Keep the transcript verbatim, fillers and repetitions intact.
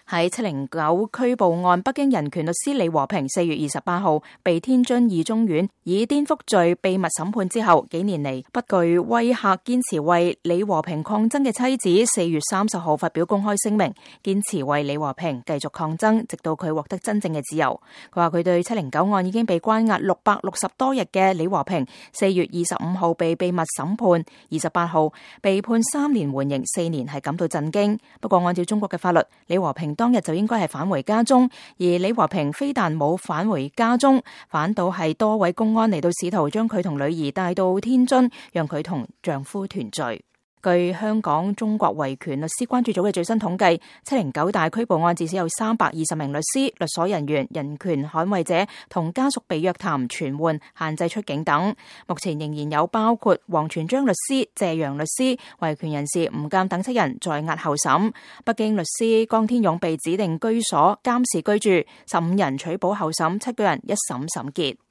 喺七零九拘捕案，北京人權律師李和平四月二十八號被天津二中院以顛覆罪秘密審判之後，幾年嚟不具威嚇，堅持為李和平抗爭嘅妻子四月三十號發表公開聲明，堅持為李和平繼續抗爭，直到佢獲得真正嘅自由。佢話佢對七零九案已經被關押六百六十多日嘅李和平，四月二十五號被秘密審判，二十八號被判三年緩刑四年，係感到震驚。不過按照中國嘅法律，李和平當日就應該係返回家中，而李和平非但冇返回家中，反倒係多位公安嚟到試圖將佢同女兒帶到天津，讓佢同丈夫團聚。據香港中國維權律師關注組嘅最新統計，七零九大拘捕案至少有三百二十名律師、律所人員、人權捍衛者同家屬被約談、傳喚、限制出境等。目前仍然有包括王全璋律師、謝陽律師、維權人士吳鑑等七人在押候審。北京律師江天勇被指定居所監視居住，十五人取保候審，七個人一審審結。